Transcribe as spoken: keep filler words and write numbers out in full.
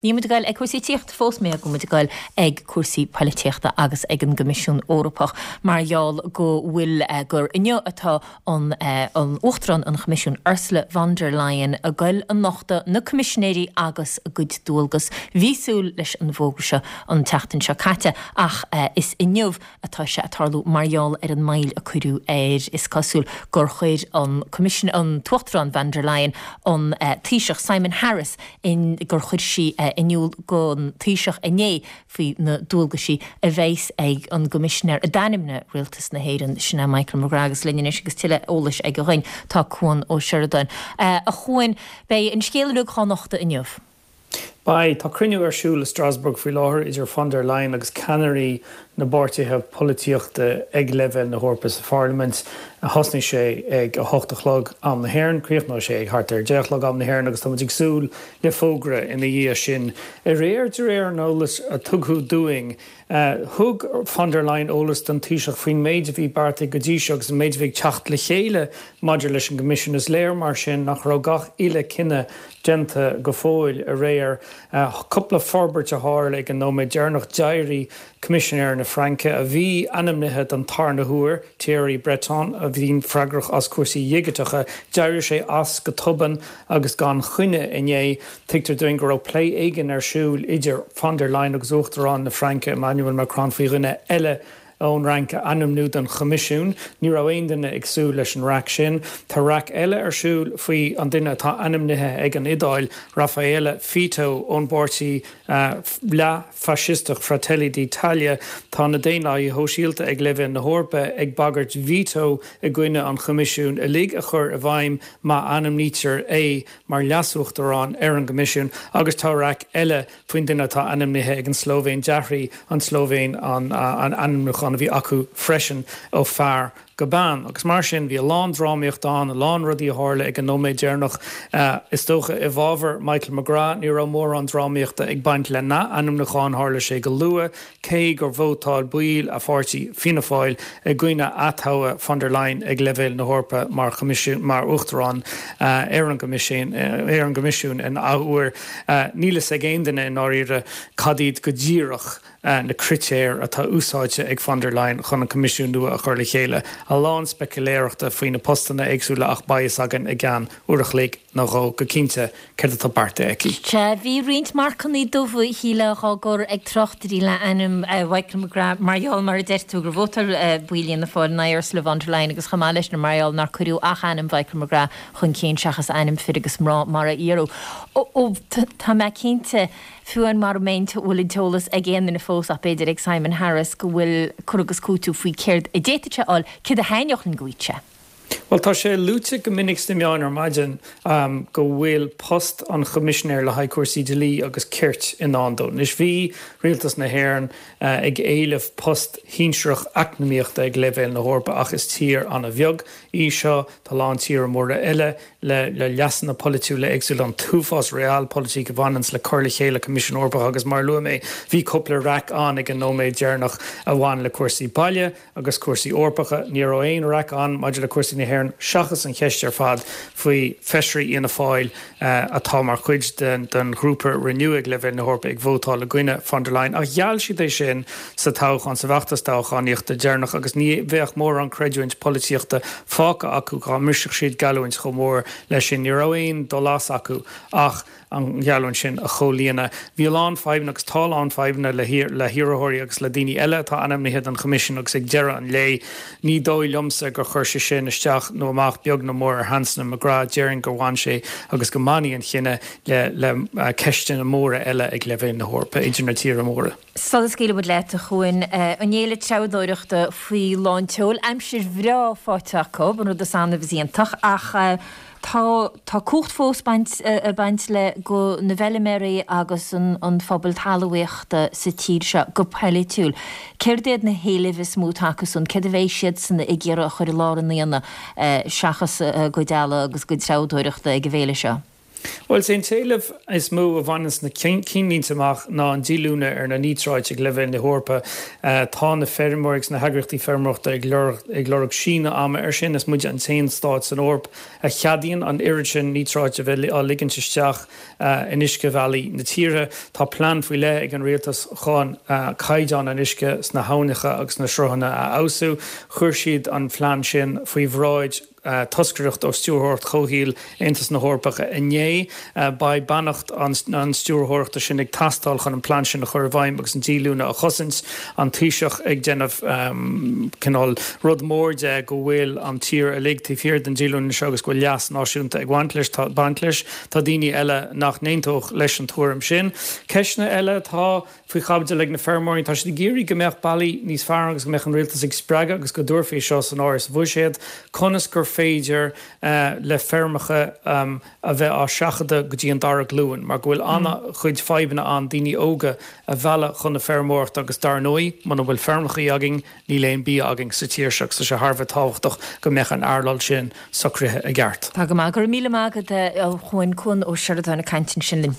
Níl muid ag goil ag cúrsaí tíochta fós mé go muid ag goil ag cúrsaí polaitíochta agus ag an gCoimisiún Eorpach mar gheall go bhfuil eh, gur inniu atá an, eh, an Uachtarán an Choimisiúin Ursula von der Leyen ag goil a nochtadh na coimisinéirí agus a gcuid dualgas bhí súil leis an bhfógra seo an tseachtain seo caite ach eh, is inniu atá sé ag tarlú mar gheall ar an moill a cuireadh air is cosúil gur chuir an Coimisiún an tUachtarán von der Leyen an eh, Taoiseach Simon Harris in gur chuir sí eh, in iúl don Taoiseach inné faoi na dualgaisí a bheas ag an gcoimisinéir a d'ainmnigh Rialtas na hÉireann sin é Michael McGrath agus linn anois agus tuilleadh eolais aige dhúinn tá Cuan Ó Seireadáin. Uh, a Chuain beidh an scéal uilig á nochtadh inniu. Beidh tá cruinniú ar siúl i Strasbourg faoi láthair idir von der Leyen agus ceannairí na bpáirtithe polaitíochta ag leibhéal na hEorpa sa Pharlaimint thosnaigh sé ag a hocht a chlog am na hÉireann, críochnóidh sé ag thart ar deich a chlog am na hÉireann agus táimid ag súil le fógra ina dhiaidh sin. Aréir de réir an eolais a tugadh dúinn, Uh, thug von der Leyen eolas don Taoiseach faoin méid a bhí beartaithe go dtí seo agus an méid a bhí ag teacht le chéile maidir leis an gCoimisiún is léir mar sin nach raibh gach uile cinneadh déanta go fóill aréir uh, cúpla forbairt a tharla ag an nóiméad deireanach d'éirigh Coimisinéir na Fraince a bhí ainmnithe don tarna huair Thierry Breton a bhíonn freagrach as cúrsaí digiteacha, d'éirigh sé as go tobann agus gan choinne inné tuigtear dúinn go raibh plé éigin ar siúl idir von der Leyen agus Uachtarán na Fraince Emmanuel Macron faoi dhuine eile ón Fhrainc a ainmniú don Choimisiún, ní raibh aon duine ag súil leis an raic sin, Tá raic eile ar siúl faoi an duine atá ainmnithe ag an Iodáil Raffaele Fitto ón bpáirtí uh, leath-fhaisisteach Fratelli d'Italia tá na Daonlathaithe Sóisialta ag leibhéal na hEorpa ag bagairt veto i gcoinne an Choimisiún uilig a chur i bhfeidhm má ainmnítear é mar leasuachtarán ar an gCoimisiún agus tá raic eile faoin duine atá ainmnithe ag an Slóivéin d'athraigh an Slóivéin an, an ainmniúchán a bhí acu freisin ó fear go bean. agus mar sin bhí a lán drámaíocht ann a lán rudaí a tharla ag an nóiméad deireanach uh, is dócha i bhfabhar Michael McGrath ní raibh mórán drámaíochta ag baint lena ainmniúchán tharla sé go luath cé gur vótáil baill a pháirtí Fianna Fáil i gcoinne atoghadh von der Leyen ag leibhéal na hEorpa mar mar uachtarán uh, ar an gCoimisiún uh, ar an gCoimisiún in athuair uh, níl a fhios ag aon duine i ndáiríre cad iad go díreach uh, na critéir atá úsáidte ag von der Leyen chun an Coimisiún nua a chur le chéile. A lán speiculéireachta faoi na postanna éagsúla ach beidh a fhios againn i gceann uair a chloig nó dhó go cinnte céard atá beartaithe aici. Sea bhí roinnt marcanna dubha shíle á gcur ag tráchtairí le ainm Michael McGrath mar gheall mar a deir tú gur vótáil baill Fhianna Fáil in aghaidh Ursula von der Leyen agus chomh maith leis na mar gheall nár cuireadh ach ainm Michael McGrath chun cinn seachas ainm fir agus mná mar a iarradh. Ó tá mé cinnte fiú an mar méint bhfuil an t-eolas ag aon duine fós ach b'fhéidir ag Simon Harris go bhfuil cur agus cúiteamh faoi céard a d'fhéadfadh sé fháil céard a thaitneodh an gcuid sé. Well tá sé luaite go minic sna meáin ar maidin um, go bhfuil post an choimisinéir le haghaidh cúrsaí dlí agus cirt i ndán dó. Anois bhí rialtas na hÉireann uh, ag éileamh post shinsearach eacnamaíochta ag leibhéal na hEorpa ach is tír an-bheag í seo tá lán tíortha móra eile le le leasanna polaitiúla éagsúla an t-uafás realpolitik a bhaineann le cur le chéile Coimisiún Eorpach agus mar luaigh mé bhí cúpla raic ann ag an nóiméad deireanach a bhain le cúrsaí baile agus cúrsaí Eorpacha ní raibh aon raic ann maidir le cúrsaí na hÉireann seachas an cheist ar fad faoi feisirí Fhianna Fáil uh, atá mar chuid den, den ghrúpa Renew ag leibhéal na hEorpa ag vótáil i gcoinne von der Leyen ach gheall siad é sin sa toghchán sa bhfeachtas toghchánaíochta deireanach agus ní bheadh mórán creidiúint polaitíochta fágtha acu dá mbrisfeadh siad geallúint chomh mór leis sin ní raibh aon dul as acu ach an gheallúint sin a chomhlíonadh. Bhí lán fadhbanna agus tá lán fadhbanna le le hiarrthóirí agus le daoine eile atá ainmnithe don Choimisiún agus ag deireadh an lae ní dóigh liomsa gur chuir sé sin isteach nó amach beag nó mór ar sheansanna McGrath déarfainn gur bhain sé agus go mbainfidh an cinneadh le le uh, ceisteanna móra eile ag leibhéal na hEorpa idir na tíortha móra. Sula scaoilfidh muid leat a Chuain an fhéile treabhdóireachta faoi lánseol aimsir bhreá faighte acu an rud is annamh is iontach ach uh, Tá tá cumhacht fós baint uh, baint le go na bhfeilméaraí agus an, an phobal talmhaíochta sa tír seo go polaitiúil. Céard iad na héilimh is mó acu san céard a bheidh siad san ag iarraidh a chur i lár an aonaigh uh, seachas uh, go deala agus go treabhdóireachta ag an bhféile seo. Bhuel, is é an t-éileamh is mó a bhaineanns na cinnlínte amach ná an díolúine ar na níotráit ag leibhéal na hEorpa. Tá na feirmeoirí agus na heagraíochtaí feirmeoireachta ag lorg ag lorg síneadh ama air sin. Is muide an t-aon stát san Eoraip a cheadaíonn an oiread sin níotráit a bheith á ligint isteach in uiscebhealaí na tíre. Tá plean faoi leith ag an rialtas chun caighdeán an uisce sna habhnacha agus sna sruthanna a fheabhsú. Chuir siad an plean sin faoi bhráid toscaireacht ó Stiúrthóireacht Chomhshaoil Aontas na hEorpach inné. Beidh beannacht an stiúrthóireachta sin ag teastáil chun an plean sin a chur i bhfeidhm agus an díolúine a chosaint. An Taoiseach ag déanamh cineál rud mór de go bhfuil an tír uilig taobh thiar den díolúine seo agus go bhfuil leas náisiúnta ag baint leis. Baint leis. Tá daoine eile nach n-aontódh leis an tuairim sin. Ceisteanna eile atá faoi chaibidil ag na feirmeoirí, tá siad ag iarraidh go mbeadh bealaí níos fearr agus go mbeadh an rialtas ag spreagadh agus go dtabharfaí seo san áireamh sa bhuiséad, conas gur féidir le feirmeacha a bheith á seachadadh go dtí an dara glúin, mar go bhfuil an-chuid fadhbanna ann daoine óga a mhealladh chun na feirmeoireachta agus dar ndóigh, muna bhfuil feirmeacha againn, níl aon bia againn sa tír seo agus tá sé thar a bheith tábhachtach go mbeadh an earnáil sin socraithe i gceart. Tá go maith. Go raibh míle maith agat, a Chuain, Cuan Ó Seireadáin ag caint ansin linn.